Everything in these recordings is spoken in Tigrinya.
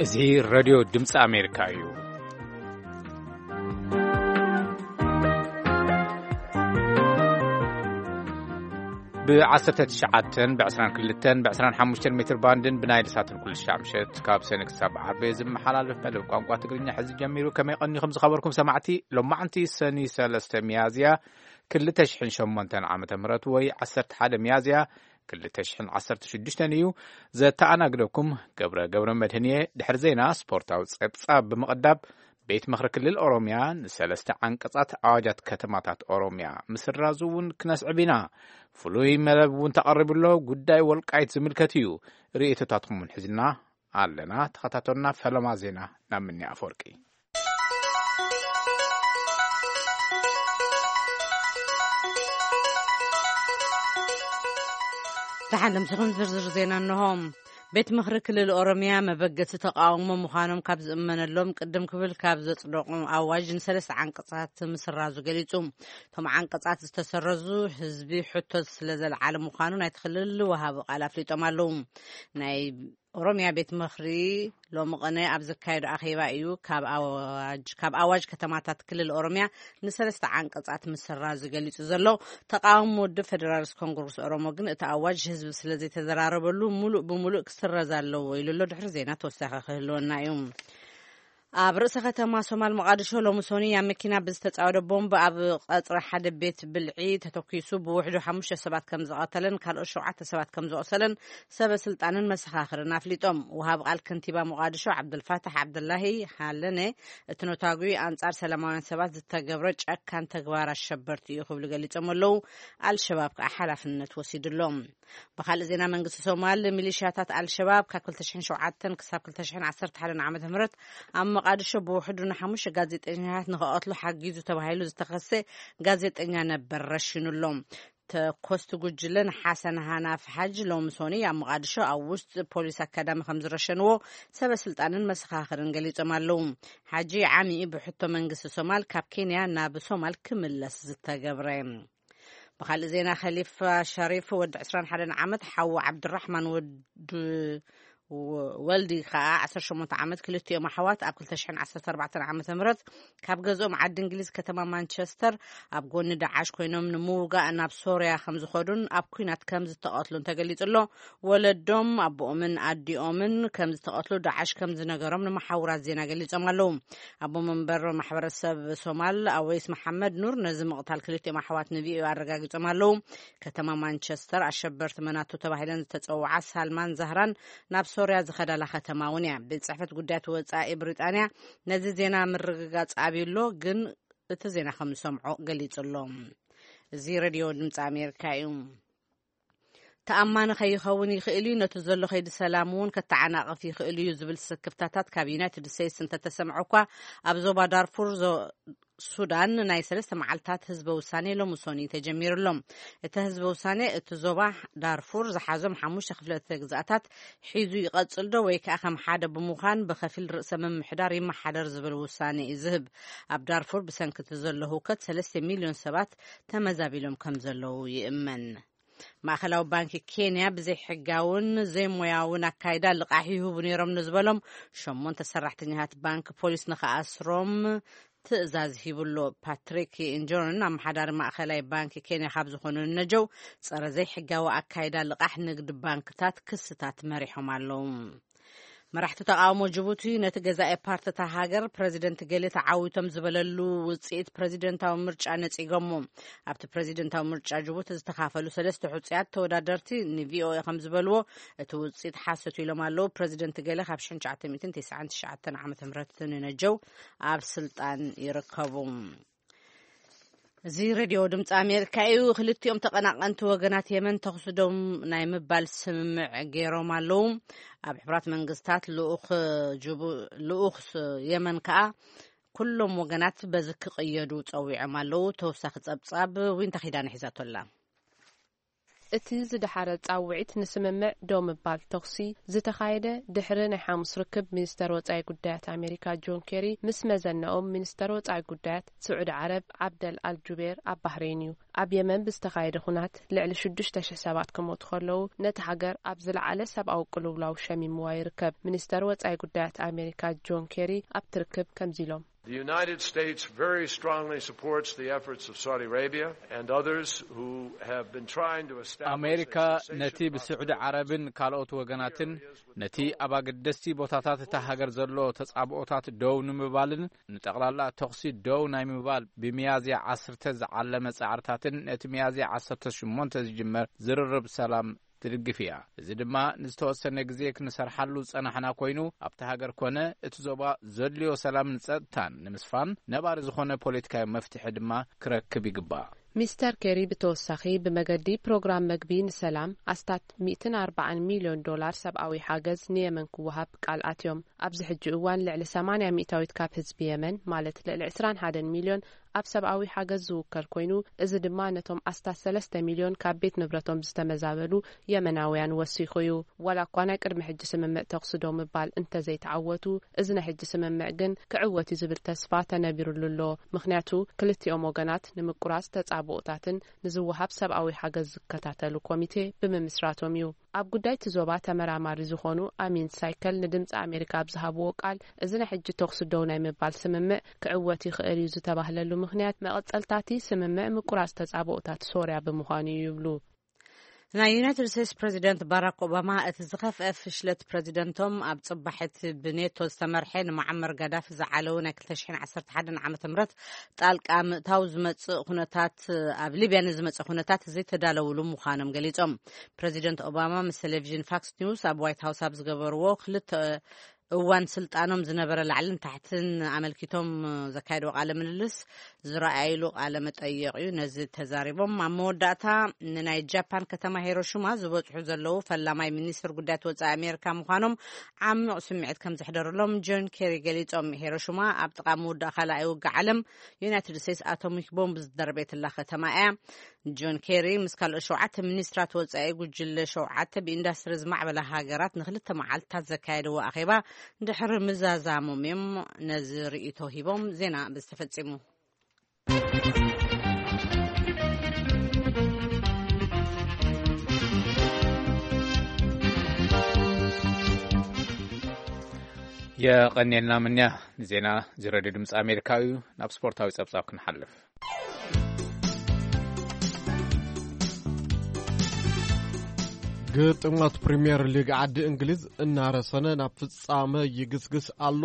እዚ ሬድዮ ድምፂ ኣሜሪካ እዩ። ብ19፣ ብ22፣ ብ25 ሜትር ባንድን ብናይል ሳትን ኩሉ ሻዕ ምሸት ካብ ሰነ ክሳብ ዓርቢ ዝመሓላለፍ መደብ ቋንቋ ትግርኛ ሕዚ ጀሚሩ። ከመይ ቀኒኹም ዝኸበርኩም ሰማዕቲ? ሎማዕንቲ ሰኒ 3 ሚያዝያ 2008 ዓመተ ምህረት ወይ 11 ሚያዝያ 2016 እዩ። ዘተኣናግደኩም ገብረ ገብረ መድህን እየ። ድሕሪ ዜና ስፖርታዊ ጸብጻብ ብምቕዳብ ቤት ምኽሪ ክልል ኦሮምያ ንሰለስተ ዓንቀጻት ኣዋጃት ከተማታት ኦሮምያ ምስራዙ እውን ክነስዕብ ኢና። ፍሉይ መደብ እውን ተቐሪቡ ኣሎ። ጉዳይ ወልቃይት ዝምልከት እዩ። ርእይቶታትኩም እውን ሒዝና ኣለና። ተኸታተሉና። ፈለማ ዜና ናብ ምኒ ኣፈወርቂ። ደሓን ምሳኹም ዝርዝር ዜና እንሆ። ቤት ምኽሪ ክልል ኦሮምያ መበገሲ ተቃውሞ ምዃኖም ካብ ዝእመነሎም ቅድም ክብል ካብ ዘጽደቑ ኣዋጅ ንሰለስተ ዓንቀጻት ምስራዙ ገሊጹ። እቶም ዓንቀጻት ዝተሰረዙ ህዝቢ ሕቶ ስለ ዘልዓለ ምዃኑ ናይቲ ክልል ወሃቢ ቃል ኣፍሊጦም ኣለዉ። ናይ ኦሮምያ ቤት ምኽሪ ሎሚ ቅነ ኣብ ዘካየዶ ኣኼባ እዩ ካብ ኣዋጅ፣ ካብ ኣዋጅ ከተማታት ክልል ኦሮምያ ንሰለስተ ዓንቀጻት ምስራዙ ገሊጹ ዘሎ። ተቃዋሚ ውድብ ፌደራሊስት ኮንግረስ ኦሮሞ ግን እቲ ኣዋጅ ህዝቢ ስለ ዘይተዘራረበሉ ሙሉእ ብሙሉእ ክስረዝ ኣለዎ ኢሉ ኣሎ። ድሕሪ ዜና ተወሳኺ ክህልወና እዩ። ኣብ ርእሰ ከተማ ሶማል ሞቃዲሾ ሎሚ ሶኒ ኣብ መኪና ብዝተጻወደ ቦምብ ኣብ ቀጽሪ ሓደ ቤት ብልዒ ተተኪሱ ብውሕዱ ሓሙሽተ ሰባት ከም ዝቐተለን ካልኦት ሸውዓተ ሰባት ከም ዝቆሰለን ሰበ ስልጣንን መሰኻኽርን ኣፍሊጦም። ወሃብ ቃል ከንቲባ ሞቃዲሾ ዓብዱልፋታሕ ዓብዱላሂ ሃለነ እቲ ነታጒ ኣንጻር ሰላማውያን ሰባት ዝተገብረ ጨካን ተግባር ኣሸበርቲ እዩ ክብሉ ገሊጾም ኣለዉ። ኣልሸባብ ከኣ ሓላፍነት ወሲዱ ኣሎ። ብኻልእ ዜና መንግስቲ ሶማል ሚሊሽያታት ኣልሸባብ ካብ 2007 ክሳብ 2011 ዓመተ ምህረት ኣብ መቃዲሾ ብውሕዱ ንሓሙሽተ ጋዜጠኛታት ንኸቐትሉ ሓጊዙ ተባሂሉ ዝተኸሰ ጋዜጠኛ ነበር ረሺኑ ኣሎ። ተኮስቲ ጉጅለ ንሓሰን ሃናፍ ሓጅ ሎሚ ሶኒ ኣብ መቃዲሾ ኣብ ውስጥ ፖሊስ ኣካዳሚ ከም ዝረሸንዎ ሰበ ስልጣንን መሰኻኽርን ገሊጾም ኣለዉ። ሓጂ ዓሚ ብሕቶ መንግስቲ ሶማል ካብ ኬንያ ናብ ሶማል ክምለስ ዝተገብረ። ብኻልእ ዜና ከሊፋ ሸሪፍ ወዲ 21 ዓመት ሓዉ ዓብድራሕማን ወዲ ወልዲ ከኣ 18 ዓመት ክልቲኦም ኣሕዋት ኣብ 2014 ዓመተ ምህረት ካብ ገዝኦም ዓዲ እንግሊዝ ከተማ ማንቸስተር ኣብ ጎኒ ዳዓሽ ኮይኖም ንምውጋእ ናብ ሶርያ ከም ዝኾዱን ኣብ ኩናት ከም ዝተቐትሉን ተገሊጹ ኣሎ። ወለዶም ኣቦኦምን ኣዲኦምን ከም ዝተቐትሉ ዳዓሽ ከም ዝነገሮም ንመሓውራት ዜና ገሊጾም ኣለዉ። ኣቦ መንበር ማሕበረሰብ ሶማል ኣወይስ መሓመድ ኑር ነዚ ምቕታል ክልቲኦም ኣሕዋት ንቪኦኤ ኣረጋጊጾም ኣለዉ። ከተማ ማንቸስተር ኣሸበርቲ መናቱ ተባሂለን ዝተጸውዓ ሳልማን ዛህራን ናብ ሶርያ ዝኸዳላ ከተማ እውን እያ። ቤት ጽሕፈት ጉዳያት ወጻኢ ብሪጣንያ ነዚ ዜና ምርግጋጽ ኣብዩ ኣሎ፣ ግን እቲ ዜና ከም ዝሰምዖ ገሊጹ ኣሎ። እዚ ሬድዮ ድምፂ ኣሜሪካ እዩ። ተኣማኒ ከይኸውን ይኽእል እዩ፣ ነቲ ዘሎ ከይዲ ሰላም እውን ከተዓናቕፍ ይኽእል እዩ ዝብል ስክፍታታት ካብ ዩናይትድ ስቴትስ እንተተሰምዐ እኳ፣ ኣብ ዞባ ዳርፉር ዞ-፣ ሱዳን ናይ ሰለስተ መዓልታት ህዝበ ውሳኔ ሎሚ ሶኒ ተጀሚሩ ኣሎ። እቲ ህዝበ ውሳኔ እቲ ዞባ ዳርፉር ዝሓዞም ሓሙሽተ ክፍለተ ግዝኣታት ሒዙ ይቐጽል ዶ ወይ ከኣ ከም ሓደ ብምዃን ብኸፊል ርእሰ ምምሕዳር ይመሓደር ዝብል ውሳኔ እዩ ዝህብ። ኣብ ዳርፉር ብሰንኪ እቲ ዘሎ ህውከት ሰለስተ ሚልዮን ሰባት ተመዛቢሎም ከም ዘለዉ ይእመን። ማእከላዊ ባንኪ ኬንያ ብዘይሕጋውን ዘይሞያውን ኣካይዳ ልቓሕ ይህቡ ነይሮም ንዝበሎም ሸሞንተ ሰራሕተኛታት ባንክ ፖሊስ ንኸኣስሮም ትእዛዝ ሂቡ ኣሎ። ፓትሪክ ኢንጆርን ኣመሓዳሪ ማእከላይ ባንኪ ኬንያ ካብ ዝኾኑ ንነጀው ጸረ ዘይሕጋዊ ኣካይዳ ልቓሕ ንግዲ ባንክታት ክስታት መሪሖም ኣለዉ። መራሕቲ ተቃውሞ ጅቡቲ ነቲ ገዛኢ ፓርቲታ ሃገር ፕረዚደንት ገሌ ተዓዊቶም ዝበለሉ ውጽኢት ፕረዚደንታዊ ምርጫ ነጺጎሞ። ኣብቲ ፕረዚደንታዊ ምርጫ ጅቡቲ ዝተኻፈሉ ሰለስተ ሕጹያት ተወዳደርቲ ንቪኦኤ ከም ዝበልዎ፣ እቲ ውጽኢት ሓሶት ኢሎም ኣለዉ። ፕረዚደንት ገሌ ካብ 1999 ዓመተ ምህረት ንነጀው ኣብ ስልጣን ይርከቡ። እዚ ሬድዮ ድምፂ ኣሜሪካ እዩ። ክልቲኦም ተቐናቐንቲ ወገናት የመን ተኹሲ ደው ናይ ምባል ስምምዕ ገይሮም ኣለዉ። ኣብ ሕቡራት መንግስታት ልኡኽ ጅቡ-፣ ልኡኽ የመን ከኣ ኩሎም ወገናት በዚ ክቕየዱ ጸዊዖም ኣለዉ። ተወሳኺ ጸብጻብ ዊንታ ኪዳነ ሒዛቶ ኣላ። እቲ ዝደሓረ ጻውዒት ንስምምዕ ደው ምባል ተኹሲ ዝተኻየደ ድሕሪ ናይ ሓሙስ ርክብ ሚኒስተር ወጻኢ ጉዳያት ኣሜሪካ ጆን ኬሪ ምስ መዘነኦም ሚኒስተር ወጻኢ ጉዳያት ስዑዲ ዓረብ ዓብደል ኣልጁቤር ኣብ ባህሬን እዩ። ኣብ የመን ብዝተኻየደ ኹናት ልዕሊ ሽዱሽተ ሽሕ ሰባት ክሞቱ ከለዉ፣ ነቲ ሃገር ኣብ ዝለዓለ ሰብኣዊ ቅልውላው ሸሚምዋ ይርከብ። ሚኒስተር ወጻኢ ጉዳያት ኣሜሪካ ጆን ኬሪ ኣብቲ ርክብ ከምዚ ኢሎም። The United States very strongly supports the efforts of Saudi Arabia and others who have been trying to establish ኣሜሪካ a cessation ነቲ ብስዑዲ process ዓረብን ካልኦት ወገናትን ነቲ ኣብ ኣገደስቲ ቦታታት እታ ሃገር ዘሎ ተጻብኦታት ደው ንምባልን ንጠቕላላ ተኹሲ ደው ናይ ምባል ብሚያዝያ ዓሰርተ ዝዓለመ ጻዕርታትን ነቲ ሚያዝያ ዓሰርተ ሸሞንተ ዝጅመር ዝርርብ ሰላም ትድግፍ እያ። እዚ ድማ ንዝተወሰነ ግዜ ክንሰርሓሉ ዝጸናሕና ኮይኑ፣ ኣብቲ ሃገር ኮነ እቲ ዞባ ዘድልዮ ሰላምን ጸጥታን ንምስፋን ነባሪ ዝኾነ ፖለቲካዊ መፍትሒ ድማ ክረክብ ይግባእ። ሚስተር ኬሪ ብተወሳኺ ብመገዲ ፕሮግራም መግቢ ንሰላም ኣስታት ሚእትን ኣርባዓን ሚልዮን ዶላር ሰብኣዊ ሓገዝ ንየመን ክወሃብ ቃል ኣትዮም። ኣብዚ ሕጂ እዋን ልዕሊ ሰማንያ ሚእታዊት ካብ ህዝቢ የመን፣ ማለት ልዕሊ ዕስራን ሓደን ሚልዮን፣ ኣብ ሰብኣዊ ሓገዝ ዝውከል ኮይኑ፣ እዚ ድማ ነቶም ኣስታት ሰለስተ ሚልዮን ካብ ቤት ንብረቶም ዝተመዛበሉ የመናውያን ወሲኹ እዩ። ዋላ እኳ ናይ ቅድሚ ሕጂ ስምምዕ ተኹሲ ደው ምባል እንተዘይተዓወቱ፣ እዚ ናይ ሕጂ ስምምዕ ግን ክዕወት እዩ ዝብል ተስፋ ተነቢሩሉ ኣሎ። ምኽንያቱ ክልቲኦም ወገናት ንምቁራጽ ተጻብኦታትን ንዝወሃብ ሰብኣዊ ሓገዝ ዝከታተሉ ኮሚቴ ብምምስራቶም እዩ። ኣብ ጉዳይ እቲ ዞባ ተመራማሪ ዝኾኑ ኣሚን ሳይከል ንድምፂ ኣሜሪካ ኣብ ዝሃብዎ ቃል፣ እዚ ናይ ሕጂ ተኹሲ ደው ናይ ምባል ስምምዕ ክዕወት ይኽእል እዩ ዝተባህለሉ ምኽንያት መቐጸልታቲ ስምምዕ ምቁራጽ ተጻብኦታት ሶርያ ብምዃኑ እዩ ይብሉ። ናይ ዩናይትድ ስቴትስ ፕሬዚደንት ባራክ ኦባማ እቲ ዝኸፍአ ፍሽለት ፕሬዚደንቶም ኣብ ጽባሕቲ ብኔቶ ዝተመርሐ ንመዓመር ጋዳፊ ዝዓለዉ ናይ ክልተ ሽሕን ዓሰርተ ሓደን ዓመተ ምህረት ጣልቃ ምእታው ዝመጽእ ኩነታት፣ ኣብ ሊብያ ንዝመጽእ ኩነታት ዘይተዳለውሉ ምዃኖም ገሊጾም። ፕሬዚደንት ኦባማ ምስ ቴሌቪዥን ፋክስ ኒውስ ኣብ ዋይት ሃውስ ኣብ ዝገበርዎ ክልተ እዋን ስልጣኖም ዝነበረ ላዕልን ታሕትን ኣመልኪቶም ዘካየድዎ ቃለ ምልልስ ዝረኣይሉ ቃለ መጠየቕ እዩ። ነዚ ተዛሪቦም ኣብ መወዳእታ ንናይ ጃፓን ከተማ ሂሮሺማ ዝበጽሑ ዘለዉ ፈላማይ ሚኒስትር ጉዳያት ወጻኢ ኣሜሪካ ምዃኖም ዓሚቕ ስምዒት ከም ዘሕደረሎም ጆን ኬሪ ገሊጾም። ሂሮሺማ ኣብ ጥቓ ምውዳእ ካልኣይ ውግእ ዓለም ዩናይትድ ስቴትስ ኣቶሚክ ቦምብ ዝደርበየትላ ከተማ እያ። ጆን ኬሪ ምስ ካልኦት ሸውዓተ ሚኒስትራት ወጻኢ ጉጅለ ሸውዓተ ብኢንዳስትሪ ዝማዕበላ ሃገራት ንክልተ መዓልታት ዘካየድዎ ኣኼባ ድሕሪ ምዛዛሞም እዮም ነዚ ርእይቶ ሂቦም። ዜና ብዝተፈጺሙ። የቐንየልና ምንያ። ንዜና እዚ ሬድዮ ድምፂ ኣሜሪካ እዩ። ናብ ስፖርታዊ ጸብጻብ ክንሓልፍ። ግጥማት ፕሪምየር ሊግ ዓዲ እንግሊዝ እናረሰነ ናብ ፍጻመ ይግስግስ ኣሎ።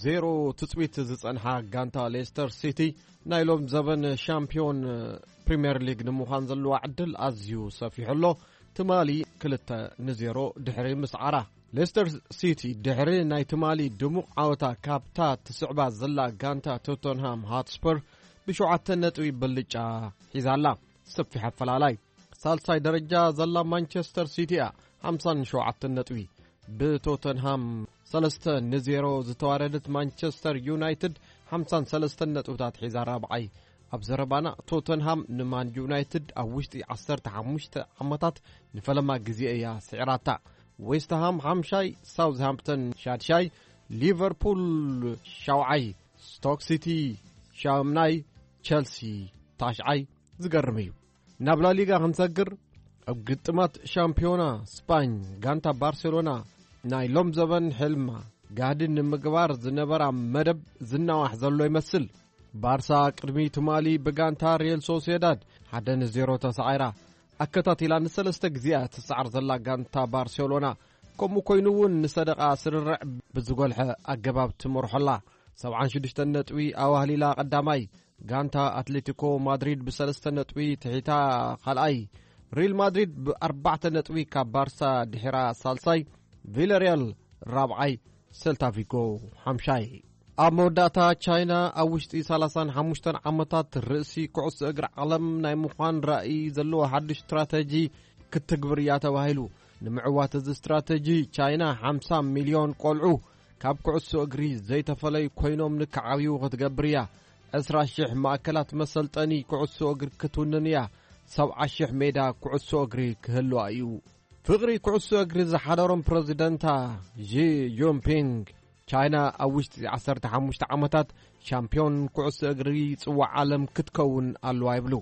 ዜሮ ትጽቢት ዝጸንሓ ጋንታ ሌስተር ሲቲ ናይ ሎም ዘበን ሻምፒዮን ፕሪምየር ሊግ ንምዃን ዘለዋ ዕድል ኣዝዩ ሰፊሑ ኣሎ። ትማሊ ክልተ ንዜሮ ድሕሪ ምስዓራ፣ ሌስተር ሲቲ ድሕሪ ናይ ትማሊ ድሙቕ ዓወታ ካብታ ትስዕባ ዘላ ጋንታ ቶተንሃም ሃትስፐር ብሸውዓተ ነጥቢ ብልጫ ሒዛ ኣላ። ሰፊሕ ኣፈላላይ። ሳልሳይ ደረጃ ዘላ ማንቸስተር ሲቲ እያ፣ ሓምሳን ሸውዓተን ነጥቢ። ብቶተንሃም ሰለስተ ንዜሮ ዝተዋረደት ማንቸስተር ዩናይትድ ሓምሳን ሰለስተን ነጥብታት ሒዛ ራብዓይ። ኣብ ዘረባና ቶተንሃም ንማን ዩናይትድ ኣብ ውሽጢ ዓሰርተ ሓሙሽተ ዓመታት ንፈለማ ግዜ እያ ስዒራታ። ዌስትሃም ሓምሻይ፣ ሳውዝሃምፕተን ሻድሻይ፣ ሊቨርፑል ሻውዓይ፣ ስቶክ ሲቲ ሻምናይ፣ ቸልሲ ታሽዓይ። ዝገርም እዩ። ናብ ላሊጋ ክንሰግር፣ ኣብ ግጥማት ሻምፒዮና ስፓኝ ጋንታ ባርሴሎና ናይ ሎም ዘበን ሕልማ ጋህዲ ንምግባር ዝነበራ መደብ ዝናዋሕ ዘሎ ይመስል። ባርሳ ቅድሚ ትማሊ ብጋንታ ሪየል ሶሲዳድ ሓደ ንዜሮ ተሳዒራ። ኣከታቲላ ንሰለስተ ግዜኣ ትሰዓር ዘላ ጋንታ ባርሴሎና፣ ከምኡ ኮይኑ እውን ንሰደቓ ስርርዕ ብዝጎልሐ ኣገባብ ትመርሖ ኣላ። ሰብዓን ሽዱሽተን ነጥቢ ኣዋህሊላ ቀዳማይ፣ ጋንታ ኣትሌቲኮ ማድሪድ ብሰለስተ ነጥቢ ትሒታ ካልኣይ፣ ሪል ማድሪድ ብኣርባዕተ ነጥቢ ካብ ባርሳ ድሒራ ሳልሳይ፣ ቪለሪያል ራብዓይ፣ ሴልታ ቪጎ ሓምሻይ። ኣብ መወዳእታ፣ ቻይና ኣብ ውሽጢ ሰላሳን ሓሙሽተን ዓመታት ርእሲ ኩዕሶ እግሪ ዓለም ናይ ምዃን ራእይ ዘለዎ ሓድሽ ስትራተጂ ክትግብር እያ ተባሂሉ። ንምዕዋት እዚ ስትራተጂ፣ ቻይና ሓምሳ ሚልዮን ቆልዑ ካብ ኩዕሶ እግሪ ዘይተፈለዩ ኮይኖም ንክዓብዩ ክትገብር እያ። ዕስራ ሽሕ ማእከላት መሰልጠኒ ኩዕሶ እግሪ ክትውንን እያ። ሰብዓ ሽሕ ሜዳ ኩዕሶ እግሪ ክህልዋ እዩ። ፍቕሪ ኩዕሶ እግሪ ዝሓደሮም ፕረዚደንታ ዢ ጂንፒንግ፣ ቻይና ኣብ ውሽጢ ዓሰርተ ሓሙሽተ ዓመታት ሻምፒዮን ኩዕሶ እግሪ ጽዋዕ ዓለም ክትከውን ኣለዋ ይብሉ።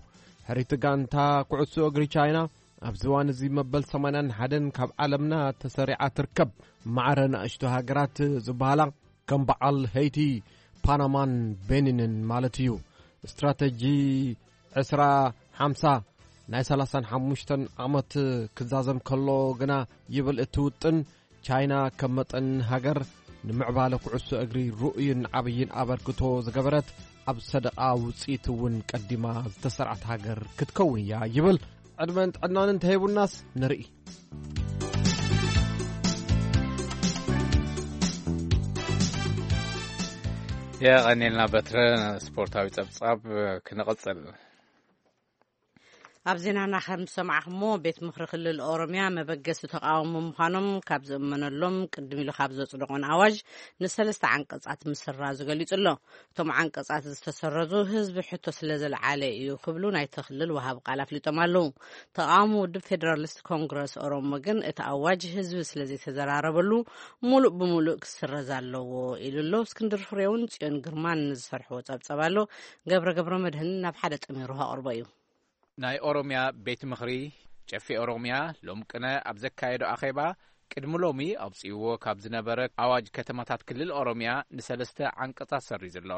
ሕሪቲ ጋንታ ኩዕሶ እግሪ ቻይና ኣብዚ እዋን እዚ መበል ሰማንያን ሓደን ካብ ዓለምና ተሰሪዓ ትርከብ። ማዕረ ንኣሽቱ ሃገራት ዝበሃላ ከም በዓል ሄይቲ፣ ፓናማን ቤኒንን ማለት እዩ። ስትራተጂ ዕስራ ሓምሳ ናይ ሰላሳን ሓሙሽተን ዓመት ክዛዘም ከሎ ግና ይብል እቲ ውጥን፣ ቻይና ከም መጠን ሃገር ንምዕባለ ኩዕሶ እግሪ ርኡይን ዓብይን ኣበርክቶ ዝገበረት፣ ኣብ ሰደቓ ውፅኢት እውን ቀዲማ ዝተሰርዓት ሃገር ክትከውን እያ ይብል። ዕድመን ጥዕናን እንተሂቡናስ ንርኢ። የቐኔልና በትረ። ስፖርታዊ ጸብጻብ ክንቕጽል። ኣብ ዜናና ከም ዝሰማዕኹሞ፣ ቤት ምኽሪ ክልል ኦሮምያ መበገሲ ተቃውሞ ምዃኖም ካብ ዝእመነሎም ቅድም ኢሉ ካብ ዘጽደቖን ኣዋጅ ንሰለስተ ዓንቀጻት ምስራዙ ገሊጹ ኣሎ። እቶም ዓንቀጻት ዝተሰረዙ ህዝቢ ሕቶ ስለ ዘልዓለ እዩ ክብሉ ናይቲ ክልል ወሃቢ ቃል ኣፍሊጦም ኣለዉ። ተቃውሞ ውድብ ፌደራሊስት ኮንግረስ ኦሮሞ ግን እቲ ኣዋጅ ህዝቢ ስለ ዘይተዘራረበሉ ሙሉእ ብሙሉእ ክስረዝ ኣለዎ ኢሉ ኣሎ። እስክንድር ፍሬውን ጽዮን ግርማን ዝሰርሕዎ ጸብጸብ ኣሎ። ገብረ ገብረ መድህን ናብ ሓደ ጠሚሩ ከቕርቦ እዩ። ናይ ኦሮምያ ቤት ምኽሪ፣ ጨፌ ኦሮምያ፣ ሎም ቅነ ኣብ ዘካየዶ ኣኼባ፣ ቅድሚ ሎሚ ኣውጺእዎ ካብ ዝነበረ ኣዋጅ ከተማታት ክልል ኦሮምያ ንሰለስተ ዓንቀጻት ሰሪዙ ኣሎ።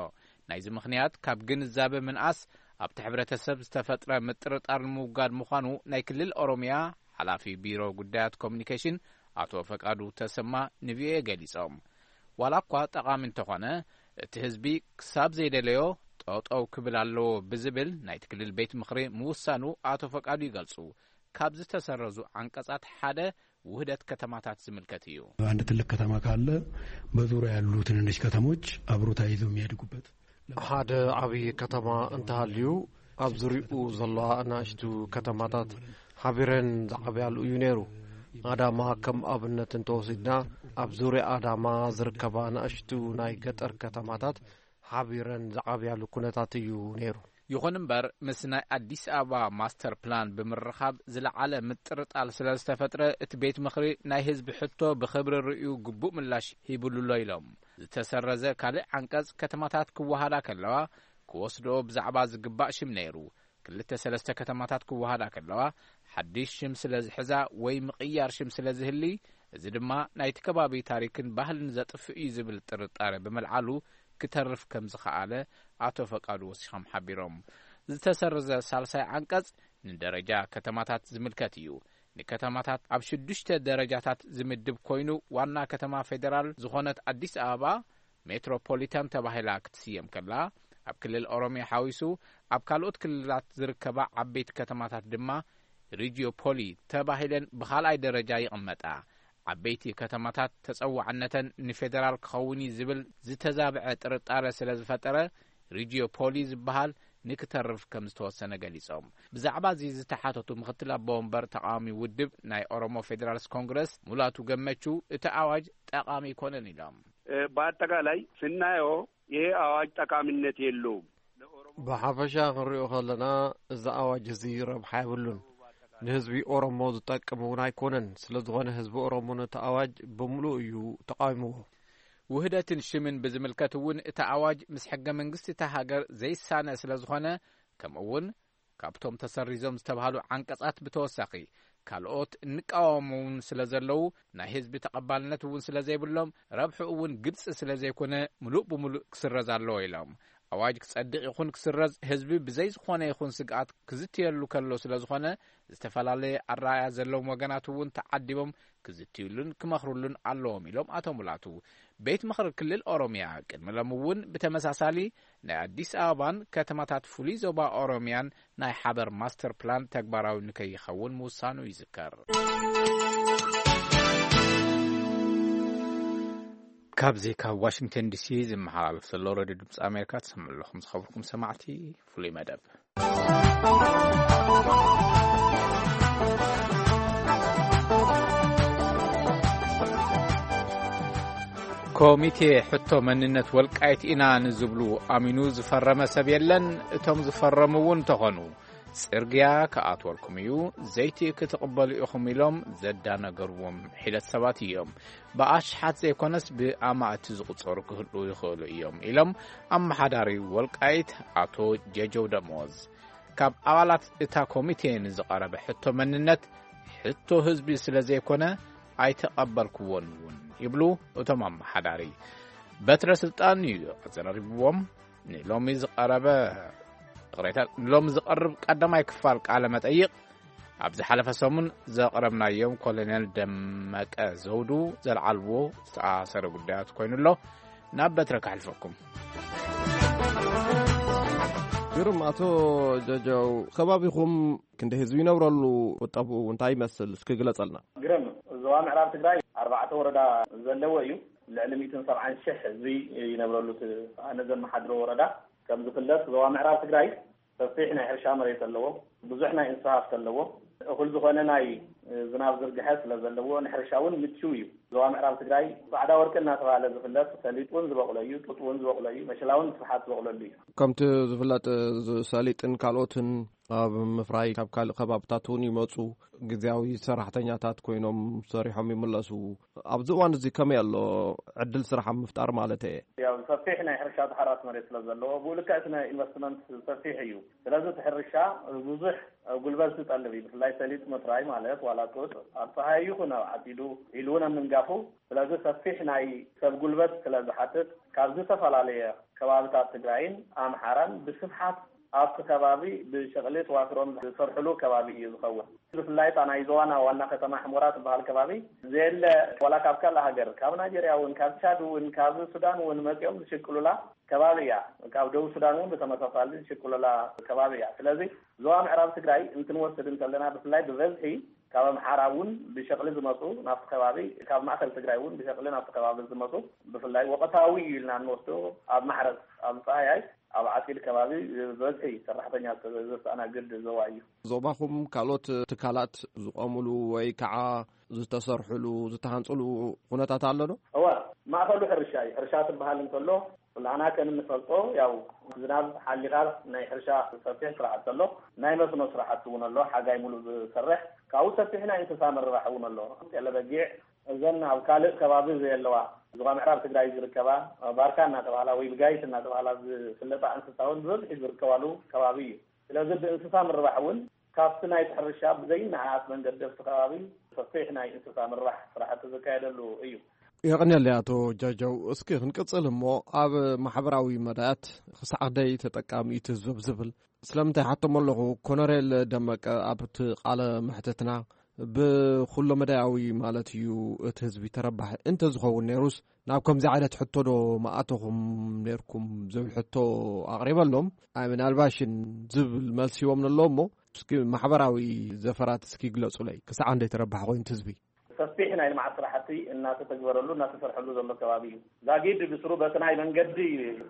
ናይዚ ምኽንያት ካብ ግንዛበ ምንኣስ ኣብቲ ሕብረተሰብ ዝተፈጥረ ምጥርጣር ንምውጋድ ምዃኑ ናይ ክልል ኦሮምያ ሓላፊ ቢሮ ጉዳያት ኮሚኒኬሽን ኣቶ ፈቃዱ ተሰማ ንቪኦኤ ገሊጾም። ዋላ እኳ ጠቓሚ እንተኾነ፣ እቲ ህዝቢ ክሳብ ዘይደለዮ ጠጠው ክብል ኣለዎ ብዝብል ናይቲ ክልል ቤት ምኽሪ ምውሳኑ ኣቶ ፈቃዱ ይገልጹ። ካብ ዝተሰረዙ ዓንቀጻት ሓደ ውህደት ከተማታት ዝምልከት እዩ። አንድ ትልቅ ከተማ ካለ በዙሪያ ያሉ ትንንሽ ከተሞች አብሮ ተያይዘው የሚያድጉበት። ሓደ ዓብዪ ከተማ እንተሃልዩ፣ ኣብ ዙሪኡ ዘለዋ ኣናእሽቱ ከተማታት ሓቢረን ዝዓብያሉ እዩ ነይሩ። ኣዳማ ከም ኣብነት እንተወሲድና፣ ኣብ ዙርያ ኣዳማ ዝርከባ ኣናእሽቱ ናይ ገጠር ከተማታት ሓቢረን ዝዓብያሉ ኩነታት እዩ ነይሩ። ይኹን እምበር፣ ምስ ናይ ኣዲስ ኣበባ ማስተር ፕላን ብምርኻብ ዝለዓለ ምጥርጣል ስለ ዝተፈጥረ፣ እቲ ቤት ምኽሪ ናይ ህዝቢ ሕቶ ብኽብሪ ርእዩ ግቡእ ምላሽ ሂቡሉ ኣሎ ኢሎም። ዝተሰረዘ ካልእ ዓንቀጽ ከተማታት ክወሃዳ ከለዋ ክወስድኦ ብዛዕባ ዝግባእ ሽም ነይሩ። ክልተ ሰለስተ ከተማታት ክወሃዳ ከለዋ ሓድሽ ሽም ስለ ዝሕዛ ወይ ምቕያር ሽም ስለ ዝህሊ፣ እዚ ድማ ናይቲ ከባቢ ታሪክን ባህልን ዘጥፍእ እዩ ዝብል ጥርጣረ ብምልዓሉ ክተርፍ ከም ዝኸኣለ ኣቶ ፈቃዱ ወሲኾም ሓቢሮም። ዝተሰረዘ ሳልሳይ ዓንቀጽ ንደረጃ ከተማታት ዝምልከት እዩ። ንከተማታት ኣብ ሽዱሽተ ደረጃታት ዝምድብ ኮይኑ፣ ዋና ከተማ ፌደራል ዝኾነት ኣዲስ ኣበባ ሜትሮፖሊታን ተባሂላ ክትስየም ከላ፣ ኣብ ክልል ኦሮሚያ ሓዊሱ ኣብ ካልኦት ክልላት ዝርከባ ዓበይቲ ከተማታት ድማ ሪጂዮፖሊ ተባሂለን ብኻልኣይ ደረጃ ይቕመጣ። ዓበይቲ ከተማታት ተጸዋዕነተን ንፌደራል ክኸውን እዩ ዝብል ዝተዛብዐ ጥርጣረ ስለ ዝፈጠረ፣ ሪጂዮፖሊ ዝበሃል ንክተርፍ ከም ዝተወሰነ ገሊጾም። ብዛዕባ እዚ ዝተሓተቱ ምክትል ኣቦ ወንበር ተቃዋሚ ውድብ ናይ ኦሮሞ ፌዴራልስ ኮንግረስ ሙላቱ ገመቹ፣ እቲ ኣዋጅ ጠቃሚ ኣይኮነን ኢሎም። እ፣ በአጠቃላይ ስናየው ይሄ አዋጅ ጠቃሚነት የለውም። ብሓፈሻ ክንሪኦ ከለና፣ እዚ ኣዋጅ እዚ ረብሓ የብሉን። ንህዝቢ ኦሮሞ ዝጠቅም እውን ኣይኮነን። ስለ ዝኾነ ህዝቢ ኦሮሞ ነቲ ኣዋጅ ብምሉእ እዩ ተቃዊምዎ። ውህደትን ሽምን ብዝምልከት እውን እቲ ኣዋጅ ምስ ሕገ መንግስቲ እታ ሃገር ዘይሳነ ስለ ዝኾነ፣ ከምኡ እውን ካብቶም ተሰሪዞም ዝተባህሉ ዓንቀጻት ብተወሳኺ ካልኦት እንቃወሞም እውን ስለ ዘለዉ፣ ናይ ህዝቢ ተቐባልነት እውን ስለ ዘይብሎም፣ ረብሑ እውን ግልጺ ስለ ዘይኮነ፣ ምሉእ ብምሉእ ክስረዝ ኣለዎ ኢሎም። ኣዋጅ ክጸድቕ ይኹን ክስረዝ፣ ህዝቢ ብዘይ ዝኾነ ይኹን ስግኣት ክዝትየሉ ከሎ ስለ ዝኾነ፣ ዝተፈላለየ ኣረኣእያ ዘለዎም ወገናት እውን ተዓዲቦም ክዝትዩሉን ክመኽሩሉን ኣለዎም ኢሎም ኣቶ ሙላቱ። ቤት ምኽሪ ክልል ኦሮምያ ቅድሚ ሎሚ እውን ብተመሳሳሊ ናይ ኣዲስ ኣበባን ከተማታት ፍሉይ ዞባ ኦሮምያን ናይ ሓበር ማስተር ፕላን ተግባራዊ ንከይኸውን ምውሳኑ ይዝከር። ካብዚ ካብ ዋሽንግተን ዲሲ ዝመሓላለፍ ዘሎ ሬድዮ ድምፂ ኣሜሪካ ትሰምዑ ኣለኹም። ዝኸበርኩም ሰማዕቲ፣ ፍሉይ መደብ። ኮሚቴ ሕቶ መንነት ወልቃይት ኢና ንዝብሉ ኣሚኑ ዝፈረመ ሰብ የለን። እቶም ዝፈረሙ እውን እንተኾኑ፣ ጽርግያ ክኣትወልኩም እዩ፣ ዘይቲ ክትቕበሉ ኢኹም ኢሎም ዘዳነገርዎም ሒደት ሰባት እዮም። ብኣሽሓት ዘይኮነስ ብኣማእቲ ዝቑጸሩ ክህልዉ ይኽእሉ እዮም ኢሎም ኣመሓዳሪ ወልቃይት ኣቶ ጀጀው ደሞዝ። ካብ ኣባላት እታ ኮሚቴ ንዝቐረበ ሕቶ መንነት፣ ሕቶ ህዝቢ ስለ ዘይኮነ ኣይተቐበልክዎን እውን ይብሉ እቶም ኣመሓዳሪ። በትረ ስልጣን እዩ ኣዘራሪብዎም። ንሎሚ ዝቐረበ ቅሬታ፣ ንሎሚ ዝቐርብ ቀዳማይ ክፋል ቃለ መጠይቕ ኣብ ዝሓለፈ ሰሙን ዘቕረብናዮም ኮሎኔል ደመቀ ዘውዱ ዘልዓልዎ ዝተኣሰረ ጉዳያት ኮይኑ ኣሎ። ናብ በትረ ከሕልፈኩም። ግርም። ኣቶ ጀጀው፣ ከባቢኹም ክንደይ ህዝቢ ይነብረሉ? ቁጠብኡ እንታይ ይመስል? እስኪ ግለጸልና። ግርም። ዞባ ምዕራብ ትግራይ ኣርባዕተ ወረዳ ዘለዎ እዩ። ልዕሊ ሚእትን ሰብዓን ሺሕ ህዝቢ ይነብረሉ እቲ ኣነ ዘመሓድሮ ወረዳ። ከም ዝፍለጥ ዞባ ምዕራብ ትግራይ ሰፊሕ ናይ ሕርሻ መሬት ኣለዎ። ብዙሕ ናይ እንስሳ ሃፍቲ ኣለዎ። እኹል ዝኾነ ናይ ዝናብ ዝርግሐ ስለ ዘለዎ ንሕርሻ እውን ምችው እዩ። ዞባ ምዕራብ ትግራይ ጻዕዳ ወርቂ እናተባህለ ዝፍለጥ ሰሊጥ እውን ዝበቑሎ እዩ፣ ጡጥ እውን ዝበቑሎ እዩ፣ መሸላ እውን ብስፍሓት ዝበቑለሉ እዩ። ከምቲ ዝፍለጥ፣ እዚ ሰሊጥን ካልኦትን ኣብ ምፍራይ ካብ ካልእ ከባብታት እውን ይመጹ። ግዜያዊ ሰራሕተኛታት ኮይኖም ሰሪሖም ይምለሱ። ኣብዚ እዋን እዚ ከመይ ኣሎ ዕድል ስራሕ ኣብ ምፍጣር ማለት እየ? ያው ሰፊሕ ናይ ሕርሻ ተሓራሲ መሬት ስለ ዘለዎ ብኡ ልክዕ እቲ ናይ ኢንቨስትመንት ሰፊሕ እዩ። ስለዚ እቲ ሕርሻ ብዙሕ ጉልበት ዝጠልብ እዩ። ብፍላይ ሰሊጥ ምፍራይ ማለት ዋላ ጡጥ ኣብ ፀሃይ ይኹን ኣብ ዓፂዱ ኢሉ እውን ኣብ ምንጋፉ፣ ስለዚ ሰፊሕ ናይ ሰብ ጉልበት ስለ ዝሓትት ካብ ዝተፈላለየ ከባብታት ትግራይን ኣምሓራን ብስፍሓት ኣብቲ ከባቢ ብሸቕሊ ተዋፊሮም ዝሰርሕሉ ከባቢ እዩ ዝኸውን። ብፍላይ እታ ናይ ዞባና ዋና ከተማ ሕሞራ ትበሃል ከባቢ ዘየለ ዋላ ካብ ካልእ ሃገር፣ ካብ ናይጀርያ እውን፣ ካብ ቻድ እውን፣ ካብ ሱዳን እውን መፂኦም ዝሽቅሉላ ከባቢ እያ። ካብ ደቡብ ሱዳን እውን ብተመሳሳሊ ዝሽቅሉላ ከባቢ እያ። ስለዚ ዞባ ምዕራብ ትግራይ እንትንወስድ እንተለና ብፍላይ ብበዝሒ ካብ ኣምሓራ እውን ብሸቕሊ ዝመፁ ናብቲ ከባቢ፣ ካብ ማእከል ትግራይ እውን ብሸቕሊ ናብቲ ከባቢ ዝመፁ ብፍላይ ወቕታዊ እዩ ኢልና እንወስዶ ኣብ ማሕረስ ኣብ ፀሃያይ ኣብ ዓፂድ ከባቢ ብበዝሒ ሰራሕተኛ ዘስተኣናግድ ዞባ እዩ። ዞባኹም ካልኦት ትካላት ዝቆምሉ ወይ ከዓ ዝተሰርሕሉ ዝተሃንፅሉ ኩነታት ኣሎ ዶ? እወ፣ ማእኸሉ ሕርሻ እዩ። ሕርሻ ትበሃል እንተሎ ኩላና ከም እንፈልጦ ያው ዝናብ ሓሊኻ ናይ ሕርሻ ሰፊሕ ስራሕቲ ኣሎ። ናይ መስኖ ስራሕቲ እውን ኣሎ፣ ሓጋይ ሙሉእ ዝሰርሕ። ካብኡ ሰፊሕ ናይ እንስሳ ምርባሕ እውን ኣሎ። ጤለ በጊዕ እዘን ኣብ ካልእ ከባቢ ዘየለዋ ዞባ ምዕራብ ትግራይ ዝርከባ ባርካ እናተባህላ ወይ ብጋይት እናተባህላ ዝፍለጣ እንስሳ እውን ብበዝሒ ዝርከባሉ ከባቢ እዩ። ስለዚ ብእንስሳ ምርባሕ እውን ካብቲ ናይቲ ሕርሻ ብዘይነኣኣስ መንገዲ ኣብቲ ከባቢ ሰፊሕ ናይ እንስሳ ምርባሕ ስራሕቲ ዝካየደሉ እዩ። የቐንየለይ ኣቶ ጃጃው። እስኪ ክንቅጽል እሞ ኣብ ማሕበራዊ መዳያት ክሳዕ ክንደይ ተጠቃሚ እዩ እቲ ህዝቢ ዝብል ስለምንታይ ሓቶም ኣለኹ። ኮነሬል ደመቀ ኣብቲ ቃለ መሕትትና ብኩሎ መዳያዊ ማለት እዩ እቲ ህዝቢ ተረባሒ እንተዝኸውን ነይሩስ ናብ ከምዚ ዓይነት ሕቶ ዶ ምኣተኹም ነይርኩም ዝብል ሕቶ ኣቕሪበሎም። ኣይ ምናልባሽን ዝብል መልሲ ሂቦም ኣለዉ እሞ እስኪ ማሕበራዊ ዘፈራት እስኪ ግለጹለይ። ክሳዕ ክንደይ ተረባሒ ኮይኑ እቲ ህዝቢ? ሰፊሕ ናይ ልምዓት ስራሕቲ እናተተግበረሉ እናተሰርሐሉ ዘሎ ከባቢ እዩ። ዛጊድ ብስሩ በቲ ናይ መንገዲ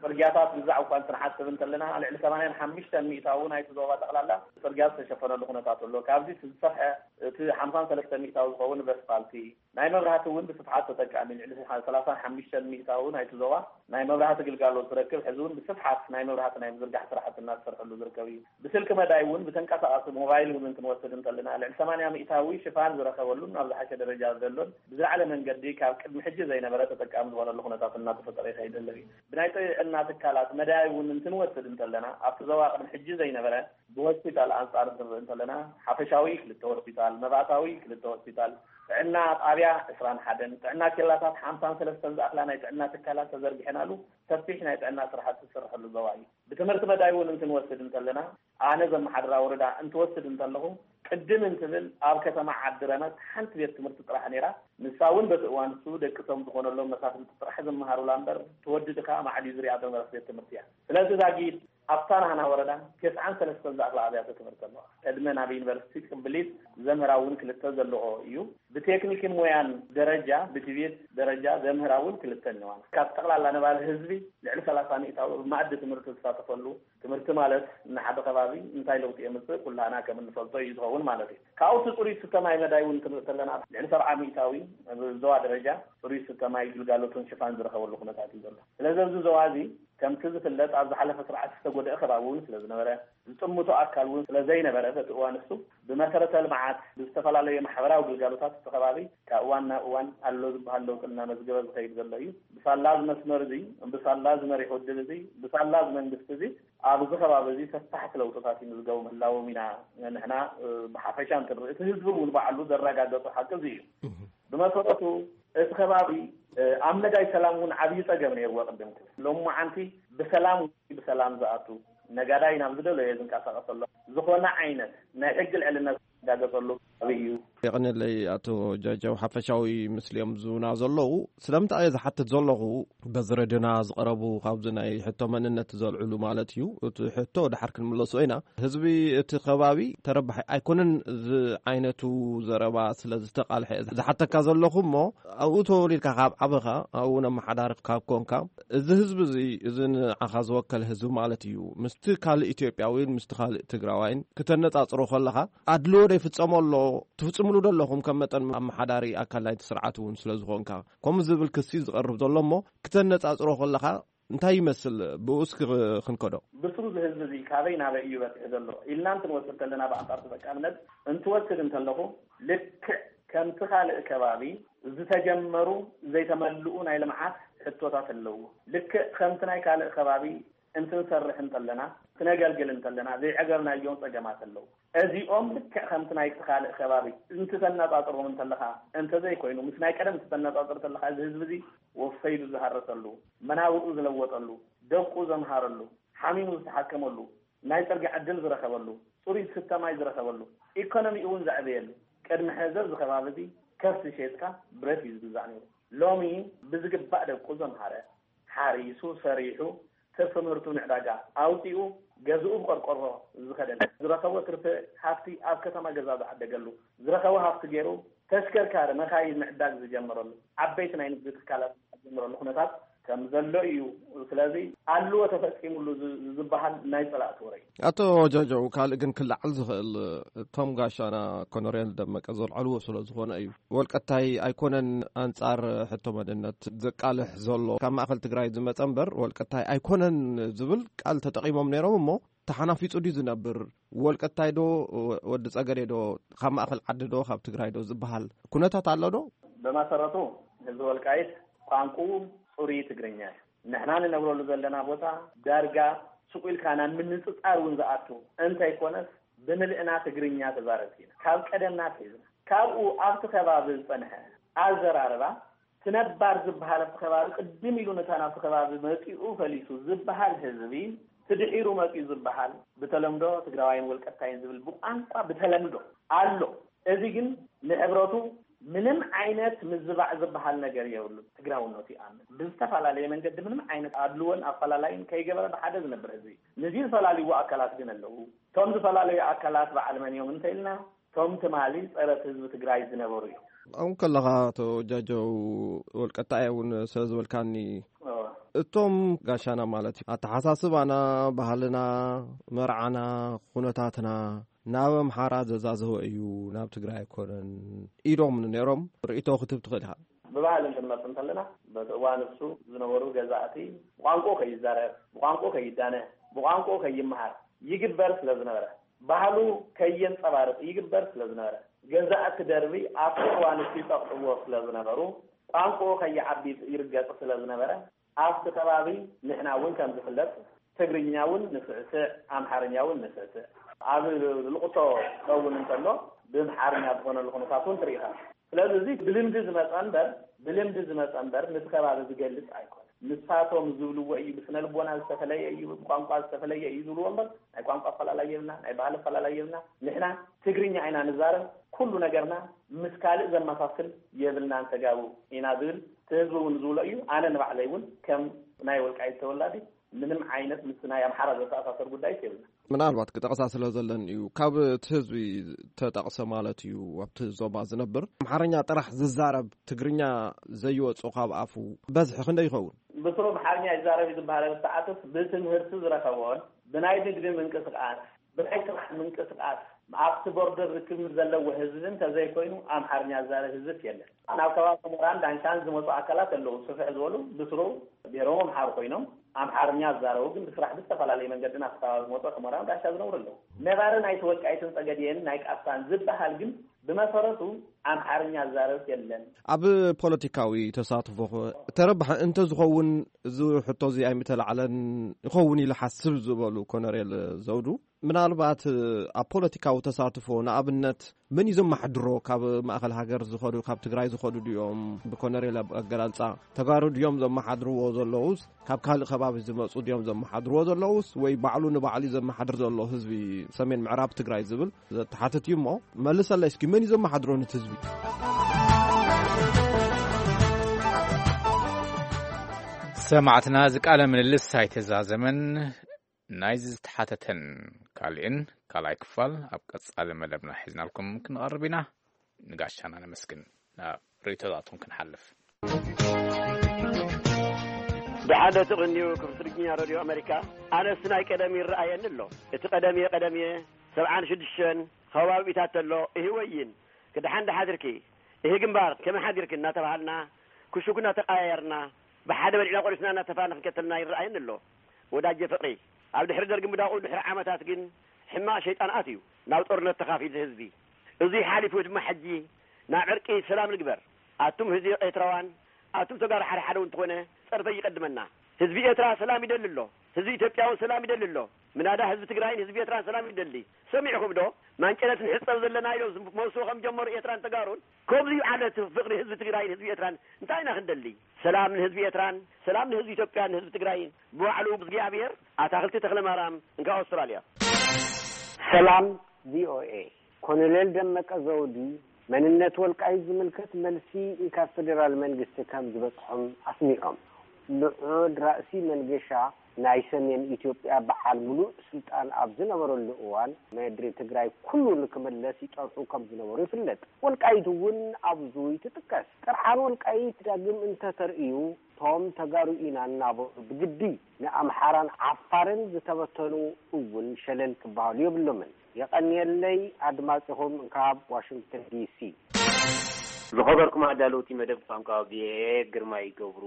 ጽርግያታት ምዛዕ እኳ እንትንሓስብ እንተለና ልዕሊ ሰማንያን ሓሙሽተን ሚእታዊ ናይቲ ዞባ ጠቕላላ ጽርግያ ዝተሸፈነሉ ኩነታት ኣሎ። ካብዚ እቲ ዝሰፍሐ እቲ ሓምሳን ሰለስተን ሚእታዊ ዝኸውን በስፋልቲ ናይ መብራህቲ እውን ብስፍሓት ተጠቃሚ ልዕሊ ሰላሳን ሓሙሽተን ሚእታዊ ናይቲ ዞባ ናይ መብራህቲ ግልጋሎት ዝረክብ ሕዚ እውን ብስፍሓት ናይ መብራህቲ ናይ ምዝርጋሕ ስራሕቲ እናተሰርሐሉ ዝርከብ እዩ። ብስልኪ መዳይ እውን ብተንቀሳቓሲ ሞባይል እውን እንትንወስድ እንተለና ልዕሊ ሰማንያ ሚእታዊ ሽፋን ዝረኸበሉን ኣብ ዝሓሸ ደረጃ ዘሎን ብዝለዓለ መንገዲ ካብ ቅድሚ ሕጂ ዘይነበረ ተጠቃሚ ዝኾነሉ ኩነታት እናተፈጠረ ይኸይድ ዘሎ እዩ። ብናይ ጥዕና ትካላት መዳይ እውን እንትንወስድ እንተለና ኣብቲ ዞባ ቅድሚ ሕጂ ዘይነበረ ብሆስፒታል ኣንጻር እንትንርኢ እንተለና ሓፈሻዊ ክልተ ሆስፒታል፣ መባእታዊ ክልተ ሆስፒታል፣ ጥዕና ጣብያ ዕስራን ሓደን፣ ጥዕና ኬላታት ሓምሳን ሰለስተን ዝኣኽላ ናይ ጥዕና ትካላት ተዘርጊሐናሉ ሰፊሕ ናይ ጥዕና ስራሕቲ ዝስርሐሉ ዞባ እዩ። ብትምህርቲ መዳይ እውን እንትንወስድ እንተለና ኣነ ዘመሓድራ ወረዳ እንትወስድ እንተለኹ ቅድም እንትብል ኣብ ከተማ ዓዲ ረመት ሓንቲ ቤት ትምህርቲ ጥራሕ ነይራ። ንሳ እውን በቲ እዋን እሱ ደቂ ቶም ዝኾነሎም መሳፍንቲ ጥራሕ ዝመሃሩላ እምበር ትወዲ ድኻ ማዕድዩ ዝሪኣ ዘነበረት ቤት ትምህርቲ እያ። ስለዚ ዛጊድ ኣብታ ናህና ወረዳ ተስዓን ሰለስተን ዝኣኽላ ኣብያተ ትምህርቲ ኣለዋ። ቅድመ ናብ ዩኒቨርሲቲ ቅብሊት ዘምህራ እውን ክልተ ዘለኦ እዩ። ብቴክኒክን ሞያን ደረጃ ብቲቤት ደረጃ ዘምህራ እውን ክልተ እነዋን። ካብ ጠቕላላ ነባሪ ህዝቢ ልዕሊ ሰላሳ ሚእታዊ ኣብ መኣዲ ትምህርቲ ዝሳተፈሉ ትምህርቲ ማለት ንሓደ ከባቢ እንታይ ለውጢ የምፅእ ኩላና ከም እንፈልጦ እዩ ዝኸውን ማለት እዩ። ካብኡ እቲ ፅሩይ ዝስተ ማይ መዳይ እውን ክንርኢ ከለና ልዕሊ ሰብዓ ሚእታዊ ኣብ ዞባ ደረጃ ፅሩይ ዝስተ ማይ ግልጋሎትን ሽፋን ዝረኸበሉ ኩነታት እዩ ዘሎ። ስለዚ ኣብዚ ዞባ እዚ ከምቲ ዝፍለጥ ኣብ ዝሓለፈ ስርዓት ዝተጎደአ ከባቢ እውን ስለ ዝነበረ፣ ዝጥምቶ ኣካል እውን ስለ ዘይነበረ፣ በቲ እዋን እሱ ብመሰረተ ልምዓት፣ ብዝተፈላለየ ማሕበራዊ ግልጋሎታት እቲ ከባቢ ካብ እዋን ናብ እዋን ኣሎ ዝበሃል ለውጢ እናመዝገበ ዝኸይድ ዘሎ እዩ። ብሳላ እዚ መስመር እዚ፣ ብሳላ እዚ መሪሕ ውድብ እዚ፣ ብሳላ እዚ መንግስቲ እዚ ኣብዚ ከባቢ እዚ ሰፋሕቲ ለውጥታት ይምዝገቡ ምህላዎም ኢና ንሕና ብሓፈሻ እንትንርኢ፣ እቲ ህዝቢ እውን ባዕሉ ዘረጋገፁ ሓቂ እዚ እዩ። ብመሰረቱ እቲ ከባቢ ኣብ መዳይ ሰላም እውን ዓብዪ ፀገም ነይርዎ ቅድም ክብል። ሎማዓንቲ ብሰላም ብሰላም ዝኣቱ፣ ነጋዳይ ናብ ዝደለዮ ዝንቀሳቐሰሉ፣ ዝኾነ ዓይነት ናይ ሕጊ ልዕልነት ዝረጋገፀሉ ከባቢ እዩ። የቐንየለይ ኣቶ ጃጀው፣ ሓፈሻዊ ምስሊኦም ዝብና ዘለዉ። ስለምንታይ እየ ዝሓትት ዘለኹ? በዚ ረድዮና ዝቐረቡ ካብዚ ናይ ሕቶ መንነት ዘልዕሉ ማለት እዩ። እቲ ሕቶ ድሓር ክንምለሶ ኢና። ህዝቢ እቲ ከባቢ ተረባሒ ኣይኮነን ዝዓይነቱ ዘረባ ስለ ዝተቓልሐ ዝሓተካ ዘለኹ እሞ፣ ኣብኡ ተወሊድካ ካብ ዓበኻ፣ ኣብኡ ነመሓዳሪ ካብ ኮንካ፣ እዚ ህዝቢ እዚ፣ እዚ ንዓኻ ዝወከል ህዝቢ ማለት እዩ፣ ምስቲ ካልእ ኢትዮጵያዊን ምስቲ ካልእ ትግራዋይን ክተነጻጽሮ ከለኻ፣ ኣድልዎ ዶ ይፍጸሞ ኣሎ? ትፍጽምሉ ዶ ኣለኹም ከም መጠን ኣመሓዳሪ ኣካል ናይቲ ስርዓት እውን ስለ ዝኾንካ? ከምኡ ዝብል ክሲ ዝቐርብ ዘሎ እሞ፣ ክተነጻጽሮ ከለኻ እንታይ ይመስል? ብኡ እስኪ ክንከዶ። ብስሩ እዚ ህዝቢ እዚ ካበይ ናበይ እዩ በጺሑ ዘሎ ኢልና እንትንወስድ ከለና፣ ብኣንጻር ተጠቃምነት እንትወስድ እንተለኹ፣ ልክዕ ከምቲ ካልእ ከባቢ ዝተጀመሩ ዘይተመልኡ ናይ ልምዓት ሕቶታት ኣለዎ። ልክዕ ከምቲ ናይ ካልእ ከባቢ እንትንሰርሕ እንተለና፣ ክነገልግል እንተለና፣ ዘይዐገብናዮም ጸገማት ኣለዉ። እዚኦም ልክዕ ከምቲ ናይቲ ካልእ ከባቢ እንትተነጻጽሮም እንተለኻ፣ እንተዘይኮይኑ፣ ምስ ናይ ቀደም ክትተነጻጽር እንተለኻ፣ እዚ ህዝቢ እዚ ወፈይሉ ዝሃረሰሉ፣ መናብርኡ ዝለወጠሉ፣ ደቁ ዘምሃረሉ፣ ሓሚሙ ዝተሓከመሉ፣ ናይ ጽርግያ ዕድል ዝረኸበሉ፣ ጽሩይ ዝስተ ማይ ዝረኸበሉ፣ ኢኮኖሚኡ እውን ዘዕበየሉ፣ ቅድሚ ሕዚ ኣብዚ ከባቢ እዚ ከብቲ ሸይጥካ ብረት እዩ ዝግዛእ ነይሩ። ሎሚ ብዝግባእ ደቁ ዘምሃረ፣ ሓሪሱ፣ ሰሪሑ፣ ትርፊ ምህርቱ ንዕዳጋ ኣውፂኡ፣ ገዝኡ ብቆርቆሮ ዝኸደለ፣ ዝረኸቦ ትርፊ ሃፍቲ ኣብ ከተማ ገዛ ዝዓደገሉ፣ ዝረኸቦ ሃፍቲ ገይሩ ተሽከርካሪ፣ መኻይን ምዕዳግ ዝጀመረሉ፣ ዓበይቲ ናይ ንግዲ ትካላት ዝጀመረሉ ኩነታት ከም ዘሎ እዩ። ስለዚ ኣልዎ ተፈፂሙሉ ዝ-፣ ዝበሃል ናይ ፀላእቲ ወረ እዩ። ኣቶ ጆጆ፣ ካልእ ግን ክለዓል ዝኽእል፣ እቶም ጋሻና ኮሎኔል ደመቀ ዘልዐልዎ ስለ ዝኾነ እዩ። ወልቀታይ ኣይኮነን ኣንጻር ሕቶ መንነት ዘቃልሕ ዘሎ። ካብ ማእከል ትግራይ ዝመጸ እምበር፣ ወልቀታይ ኣይኮነን ዝብል ቃል ተጠቒሞም ነይሮም እሞ፣ ተሓናፊጹ ድዩ ዝነብር? ወልቀታይ ዶ፣ ወዲ ጸገዴ ዶ፣ ካብ ማእከል ዓዲ ዶ፣ ካብ ትግራይ ዶ ዝበሃል ኩነታት ኣሎ ዶ? ብመሰረቱ ህዝቢ ወልቃይት ቋንቋኡ ጽሩይ ትግርኛ እዩ። ንሕና ንነብረሉ ዘለና ቦታ ዳርጋ ሱቕ ኢልካ ናብ ምንጽጻር እውን ዝኣቱ እንተይኮነስ፣ ብምልእና ትግርኛ ተዛረብቲ ኢና። ካብ ቀደምና ኣትሒዝና። ካብኡ ኣብቲ ከባቢ ዝጸንሐ ኣዘራርባ፣ እቲ ነባር ዝበሃል ኣብቲ ከባቢ ቅድም ኢሉ ነታ ናብቲ ከባቢ መጺኡ ፈሊሱ ዝበሃል ህዝቢ፣ እቲ ድሒሩ መጺኡ ዝበሃል ብተለምዶ ትግራዋይን ወልቀታይን ዝብል ብቋንቋ ብተለምዶ ኣሎ። እዚ ግን ንሕብረቱ ምንም ዓይነት ምዝባዕ ዝበሃል ነገር የብሉን። ትግራውነቱ ይኣምን። ብዝተፈላለየ መንገዲ ምንም ዓይነት ኣድልዎን ኣፈላላይን ከይገበረ ብሓደ ዝነብር ህዝቢ እዩ። ንዚ ዝፈላልይዎ ኣካላት ግን ኣለዉ። እቶም ዝፈላለዩ ኣካላት በዓል መን እዮም እንተኢልና፣ እቶም ትማሊ ጸረ ህዝቢ ትግራይ ዝነበሩ እዮም። ኣብኡ ከለኻ፣ ኣቶ ጃጀው፣ ወልቀታይ እውን ስለ ዝበልካኒ፣ እዋ። እቶም ጋሻና ማለት እዩ፣ ኣተሓሳስባና፣ ባህልና፣ መርዓና፣ ኩነታትና ናብ ኣምሓራ ዘዛዘወ እዩ፣ ናብ ትግራይ ኣይኮነን ኢሎም ነይሮም። ርእይቶ ክትህብ ትኽእል ኢኻ። ብባህሊ እንትንመጽእ እንተለና፣ በቲ እዋን እሱ ዝነበሩ ገዛእቲ ብቋንቋኡ ከይዛረብ፣ ብቋንቋኡ ከይዳነ፣ ብቋንቋኡ ከይመሃር ይግበር ስለ ዝነበረ፣ ባህሉ ከየንጸባርቕ ይግበር ስለ ዝነበረ፣ ገዛእቲ ደርቢ ኣብቲ እዋን እሱ ይጸቕጥዎ ስለ ዝነበሩ፣ ቋንቋኡ ከይዓቢ ይርገጽ ስለ ዝነበረ፣ ኣብቲ ከባቢ ንሕና እውን ከም ዝፍለጥ ትግርኛ እውን ንስዕስዕ፣ ኣምሓርኛ እውን ንስዕስዕ። ኣብ ልቕሶ ክኸውን እንተሎ ብኣምሓርኛ ዝኾነሉ ኩነታት እውን ትርኢ ኢኻ። ስለዚ እዚ ብልምዲ ዝመጸ እምበር፣ ብልምዲ ዝመጸ እምበር፣ ነቲ ከባቢ ዝገልጽ ኣይኮነን። ንሳቶም ዝብልዎ እዩ፣ ብስነ ልቦና ዝተፈለየ እዩ፣ ብቋንቋ ዝተፈለየ እዩ ዝብልዎ እምበር፣ ናይ ቋንቋ ኣፈላላይ የብልና፣ ናይ ባህሊ ኣፈላላይ የብልና። ንሕና ትግርኛ ኢና ንዛረብ፣ ኩሉ ነገርና ምስ ካልእ ዘመሳስል የብልናን፣ ተጋሩ ኢና ዝብል እቲ ህዝቢ እውን ዝብሎ እዩ። ኣነ ንባዕለይ እውን ከም ናይ ወልቃይት ተወላዲ ምንም ዓይነት ምስ ናይ ኣምሓራ ዘተኣሳሰር ጉዳይስ የብልና። ምናልባት ክጠቕሳ ስለ ዘለን እዩ። ካብ እቲ ህዝቢ ተጠቕሰ ማለት እዩ፣ ኣብቲ ዞባ ዝነብር ኣምሓርኛ ጥራሕ ዝዛረብ፣ ትግርኛ ዘይወጾ ካብ ኣፉ በዝሒ ክንደይ ይኸውን? ብስሩ ኣምሓርኛ ይዛረብ እዩ ዝበሃል ሰዓትስ ብትምህርቲ ዝረኸቦን ብናይ ንግዲ ምንቅስቃስ፣ ብናይ ስራሕ ምንቅስቃስ ኣብቲ ቦርደር ርክብ ዘለዎ ህዝቢ እንተዘይኮይኑ ኣምሓርኛ ዝዛረብ ህዝብስ የለን። ናብ ከባቢ ሑመራን ዳንሻን ዝመጹ ኣካላት ኣለዉ፣ ስፍሕ ዝበሉ ብስሩ ብሄሮም ኣምሓሩ ኮይኖም ኣምሓርኛ ዝዛረቡ ግን ብስራሕ ብዝተፈላለየ መንገዲ ናብቲ ከባቢ ዝመፁ ሕሞራን ጋሻ ዝነብሩ ኣለዉ። ነባሪ ናይቲ ወልቃይትን ጸገዴን ናይ ቃፍታን ዝበሃል ግን ብመሰረቱ ኣምሓርኛ ዝዛረብስ የለን። ኣብ ፖለቲካዊ ተሳትፎ ተረባሒ እንተዝኸውን እዚ ሕቶ እዚ ኣይምተላዕለን ይኸውን ኢለ ሓስብ ዝበሉ ኮነሬል ዘውዱ፣ ምናልባት ኣብ ፖለቲካዊ ተሳትፎ ንኣብነት መን እዩ ዘመሓድሮ? ካብ ማእኸል ሃገር ዝኸዱ፣ ካብ ትግራይ ዝኸዱ ድዮም? ብኮነሬል ኣገላልፃ ተጋሩ ድዮም ዘመሓድርዎ ዘለውስ ካብ ካልእ ከባቢ ዝመፁ ድዮም ዘመሓድርዎ ዘለውስ ወይ ባዕሉ ንባዕሉ ዘመሓድር ዘሎ ህዝቢ ሰሜን ምዕራብ ትግራይ ዝብል ዘተሓትት እዩ እሞ፣ መልሰለይ እስኪ፣ መን እዩ ዘመሓድሮ ነቲ ህዝቢ? ሰማዕትና፣ እዚ ቃለ ምልልስ ኣይተዛዘመን። ናይዚ ዝተሓተተን ካልእን ካልኣይ ክፋል ኣብ ቀጻሊ መደብና ሒዝናልኩም ክንቐርብ ኢና። ንጋሻና ነመስግን። ናብ ርእይቶታቱን ክንሓልፍ። ብሓደ ትቕንዩ ክፍትርኛ ሬድዮ ኣሜሪካ፣ ኣነስ ናይ ቀደም ይረኣየኒ ኣሎ። እቲ ቀደምየ ቀደምየ ሰብዓን ሽዱሽተን ከባቢታት ተሎ፣ እህ ወይን ክድሓን ድሓድርኪ፣ እህ ግንባር ከመይ ሓዲርኪ እናተባሃልና፣ ክሹክ እናተቃያየርና፣ ብሓደ በሊዕና ቆሪስና እናተፋነ ክንከተልና ይረኣየኒ ኣሎ። ወዳጀ ፍቕሪ፣ ኣብ ድሕሪ ደርጊ ምዳቑ ድሕሪ ዓመታት ግን ሕማቕ ሸይጣን ኣትዩ ናብ ጦርነት ተኻፊሉ ህዝቢ። እዙይ ሓሊፉ ድማ ሕጂ ናብ ዕርቂ ሰላም ንግበር። ኣቱም ህዝቢ ኤርትራውያን፣ ኣቱም ተጋሩ ሓደ ሓደ እውን እንተኾነ ጸርፈ ይቀድመና። ህዝቢ ኤርትራ ሰላም ይደሊ ኣሎ። ህዝቢ ኢትዮጵያ እውን ሰላም ይደሊ ኣሎ። ምናዳ ህዝቢ ትግራይን ህዝቢ ኤርትራን ሰላም ይደሊ። ሰሚዕኹም ዶ? ማንጨለትን ሕጸብ ዘለና ኢሎም ዝመልሱ ከም ጀመሩ ኤርትራን ተጋሩን። ከምዚ እዩ ዓለት ፍቕሪ ህዝቢ ትግራይን ህዝቢ ኤርትራን እንታይ ኢና ክንደሊ? ሰላም ንህዝቢ ኤርትራን፣ ሰላም ንህዝቢ ኢትዮጵያን ንህዝቢ ትግራይን። ብባዕሉ እግዚኣብሔር ኣታኽልቲ ተኽለ ማርያም እንካ ኣውስትራልያ። ሰላም ቪኦኤ። ኮሎኔል ደመቀ ዘውዲ መንነት ወልቃይት ዝምልከት መልሲ ካብ ፌዴራል መንግስቲ ከም ዝበጽሖም ኣስሚዖም። ልዑል ራእሲ መንገሻ ናይ ሰሜን ኢትዮጵያ በዓል ሙሉእ ስልጣን ኣብ ዝነበረሉ እዋን፣ ምድሪ ትግራይ ኩሉ ንክምለስ ይጸንሑ ከም ዝነበሩ ይፍለጥ። ወልቃይት እውን ኣብዙ ትጥቀስ። ጥርዓን ወልቃይት ዳግም እንተተርእዩ፣ ቶም ተጋሩ ኢና እናበሉ ብግዲ ንኣምሓራን ዓፋርን ዝተበተኑ እውን ሸለል ክበሃሉ የብሎምን። የቐንየለይ ኣድማጺኹም ካብ ዋሽንግተን ዲሲ። ዝኸበርኩም ኣዳለውቲ መደብ ቋንቋ ቪኦኤ፣ ግርማይ ገብሩ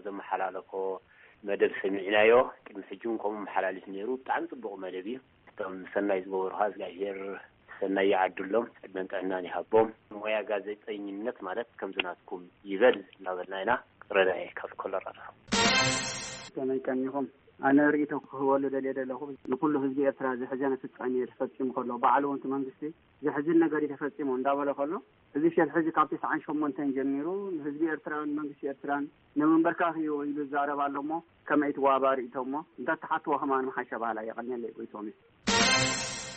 ዘመሓላለፎ መደብ ሰሚዕናዮ። ቅድሚ ሕጂ እውን ከምኡ መሓላሊፍ ነይሩ። ብጣዕሚ ጽቡቕ መደብ እዩ። እቶም ሰናይ ዝገበሩ ኸዓ እግዚኣብሔር ሰናይ ይዓድሎም፣ ዕድመን ጥዕናን ይሃቦም። ሞያ ጋዜጠኝነት ማለት ከምዚ ናትኩም ይበል እናበልና ኢና። ረዳኤ ካብ ኮሎራዶ። ከመይ ቀኒኹም? ኣነ ርእይቶ ክህበሉ ደልየ ዘለኹ፣ ንኩሉ ህዝቢ ኤርትራ ዘሕዘነ ፍጻሜ ተፈጺሙ ከሎ፣ ባዕሉ እውን እቲ መንግስቲ ዘሕዝን ነገር እዩ ተፈጺሙ እንዳበለ ከሎ፣ እዚ ሸርሒ እዚ ካብ ተስዓን ሸሞንተን ጀሚሩ ንህዝቢ ኤርትራን መንግስቲ ኤርትራን ንምንበርካኽ እዩ ኢሉ ይዛረብ ኣሎ እሞ፣ ከመይ ትዋባ ርእይቶ እሞ እንተትሓትዎ ከማን ምሓሸ ባህላ። የቐንየለይ ጎይቶሜ።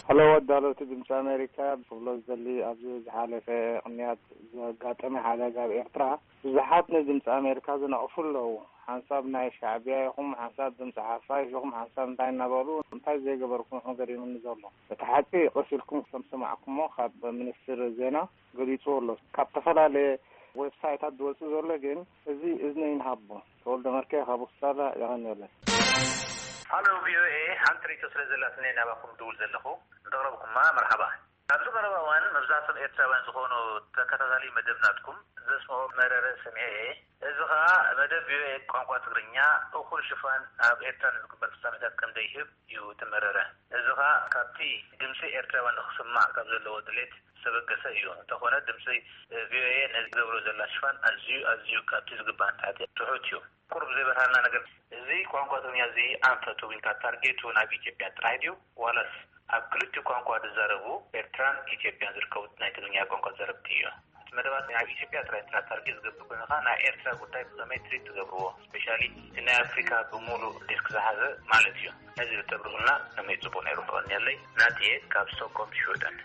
ሄሎ፣ ኣዳለውቲ ድምፂ ኣሜሪካ፣ ክብሎ ዝደሊ፣ ኣብዚ ዝሓለፈ ቅንያት ዘጋጠመ ሓደጋ ኣብ ኤርትራ ብዙሓት ንድምፂ ኣሜሪካ ዝነቕፉ ኣለዉ። ሓንሳብ ናይ ሻዕቢያ ኢኹም፣ ሓንሳብ ድምፂ ሓፋሽ ኢኹም፣ ሓንሳብ እንታይ እናበሉ እንታይ ዘይገበርኩም ኢኹም ገሪሙኒ ዘሎ። እቲ ሓቂ ቀስ ኢልኩም ከም ዝሰማዕኩሞ ካብ ሚኒስትር ዜና ገሊጹ ኣሎ። ካብ ዝተፈላለየ ዌብሳይታት ዝወጽእ ዘሎ ግን እዚ እዝኒ ይንሃቦ። ተወልደ መርኬ ካብ ውሳላ የቐንየለይ። ሃሎ ቪኦኤ፣ ሓንቲ ርእይቶ ስለ ዘላትኒ ናባኹም ድውል ዘለኹ። እንተቕረብኩማ መርሓባ። ኣብዚ ቀረባ እዋን መብዛሕትኦም ኤርትራውያን ዝኾኑ ተከታታሊ መደብ ናትኩም ዘስምዖ መረረ ሰሚዐ እየ። እዚ ኸኣ መደብ ቪኦኤ ቋንቋ ትግርኛ እኹል ሽፋን ኣብ ኤርትራ ንዝግበር ፍጻሜታት ከም ዘይህብ እዩ እቲ መረረ። እዚ ኸኣ ካብቲ ድምጺ ኤርትራውያን ንኽስማዕ ካብ ዘለዎ ድሌት ዝተበገሰ እዩ። እንተኾነ ድምጺ ቪኦኤ ነዚ ገብሮ ዘላ ሽፋን ኣዝዩ፣ ኣዝዩ ካብቲ ዝግባእ ንታሕቲ ትሑት እዩ። ቁሩብ ዘይበርሃልና ነገር፣ እዚ ቋንቋ ትግርኛ እዚ ኣንፈቱ ወይ ከዓ ታርጌቱ ናብ ኢትዮጵያ ጥራይ ድዩ? ዋላስ ኣብ ክልቲኡ ቋንቋ ዝዛረቡ ኤርትራን ኢትዮጵያን ዝርከቡ ናይ ትግርኛ ቋንቋ ተዛረብቲ እዩ? እቲ መደባት ናብ ኢትዮጵያ ጥራይ እንተ ታርጌት ዝገብር ኮይኑ ኸዓ ናይ ኤርትራ ጉዳይ ብኸመይ ትሪት ትገብርዎ? ስፔሻሊ እቲ ናይ ኣፍሪካ ብምሉእ ዴስክ ዝሓዘ ማለት እዩ። ነዚ ብተብርሁልና ከመይ ጽቡቕ ነይሩ። ከቐንየለይ ናትየ ካብ ስቶክሆልም ሽወደን።